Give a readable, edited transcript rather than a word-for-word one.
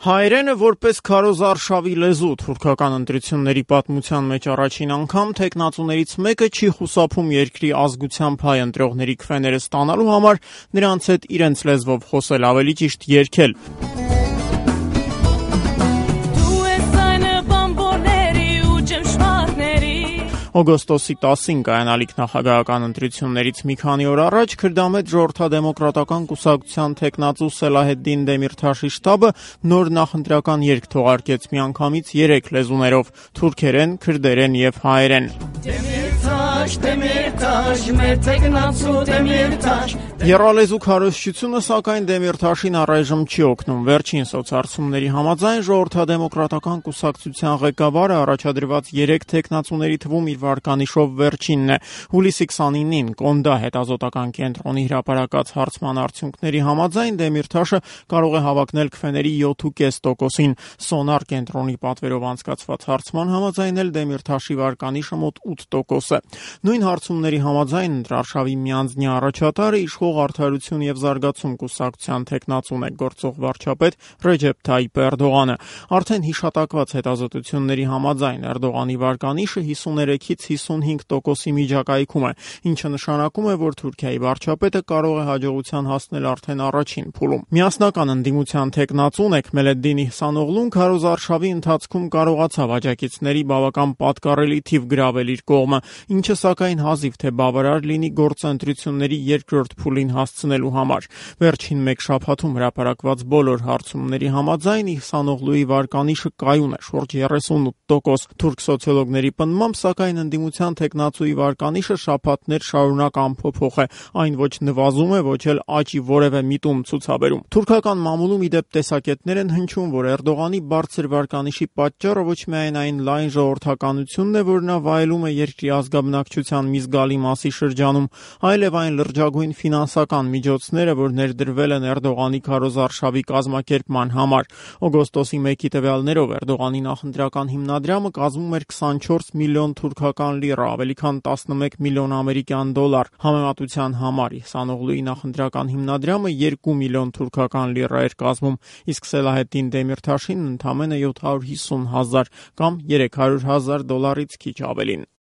Հայերենը որպես քարոզարշավի լեզու թուրքական ընտրությունների պատմության մեջ առաջին անգամ թեկնածուներից մեկը չի խուսափում երկրի ազգությամբ հայ ընտրողների քվեները ստանալու համար նրանց հետ իրենց լեզվով խոսել, ավելի ճիշտ երգել։ Օգոստոսի 10-ին կայանալիք նախագահական ընտրություններից մի քանի օր առաջ Քրդամետ ժողովրդադեմոկրատական կուսակցության թեկնածու Սելահեդդին Դեմիրթաշի շտաբը նոր նախընտրական երգ թողարկեց միանգամից 3 լեզուներով՝ թուրքերեն, քրդերեն եւ հայերեն։ Եռալեզու քարոզչությունը, սակայն, Դեմիրթաշին առայժմ չի օգնում։ Վերջին սոցհարցումների համաձայն ժողովրդադեմոկրատական կուսակցության ղեկավարը առաջադրված 3 թեկնածուների թվում իր վարկանիշով վերջինն է։ Հուլիսի 29-ին Կոնդա հետազոտական կենտրոնի հրապարակած հարցման արդյունքների համաձայն Դեմիրթաշը կարող է հավակնել քվեների 7.5%-ին։ Սոնար կենտրոնի պատվերով անցկացված հարցման համաձայն էլ Դեմիրթաշի վարկանիշը մոտ 8% է։ Նույն հարցումների համաձայն ընտրարշավի միանձնյա առաջատարը իշխող Արդարություն եւ զարգացում կուսակցության թեկնածուն է, գործող վարչապետ Ռեջեփ Թայիփ Էրդողանը։ Արդեն հիշատակված հետազոտությունների համաձայն Էրդողանի վարկանիշը 53-ից 55%-ի միջակայքում է, ինչը նշանակում է, որ Թուրքիայի վարչապետը կարող է հաջողության հասնել արդեն առաջին փուլում։ Միասնական ընդդիմության թեկնածուն Էքմելեդդին Իհսանօղլուն քարոզարշավի ընթացքում կարողացավ աջակիցների բավական պատկառելի թիվ գրավել իր կողմը, ինչը սակայն հազիվ թե բավարար լինի գործընտրությունների երկրորդ փուլին հասցնելու համար։ Վերջին մեկ շաբաթում հրապարակված բոլոր հարցումների համաձայն Իհսանօղլուի վարկանիշը կայուն է, շուրջ 38%։ Թուրք սոցիոլոգների պնդմամբ, սակայն ընդդիմության թեկնածուի վարկանիշը շաբաթներ շարունակ անփոփոխ է, այն ոչ նվազում է, ոչ էլ աճի որևէ միտում ցուցաբերում։ Թուրքական մամուլում ի դեպ տեսակետներ են հնչում, որ Էրդողանի բարձր վարկանիշի պատճառը ոչ միայն այն լայն ժողովրդականությունն է, որ նա վայելում է երկրի ազգաբնակչության մի զգալի մասի շրջանում, այլև այն լրջագույն ֆինանսական միջոցները, որ ներդրվել են Էրդողանի քարոզարշավի կազմակերպման համար։ Օգոստոսի 1-ի տվյալներով Էրդողանի նախընտրական հիմնադրամը կազմում էր 24 միլիոն թուրքական լիռա, ավելի քան 11 միլիոն ամերիկյան դոլար։ Համեմատության համար Իհսանօղլուի նախընտրական հիմնադրամը 2 միլիոն թուրքական լիռա էր կազմում, իսկ Սելահեդդին Դեմիրթաշին ընդամենը 750,000 կամ $300,000 քիչ ավելին։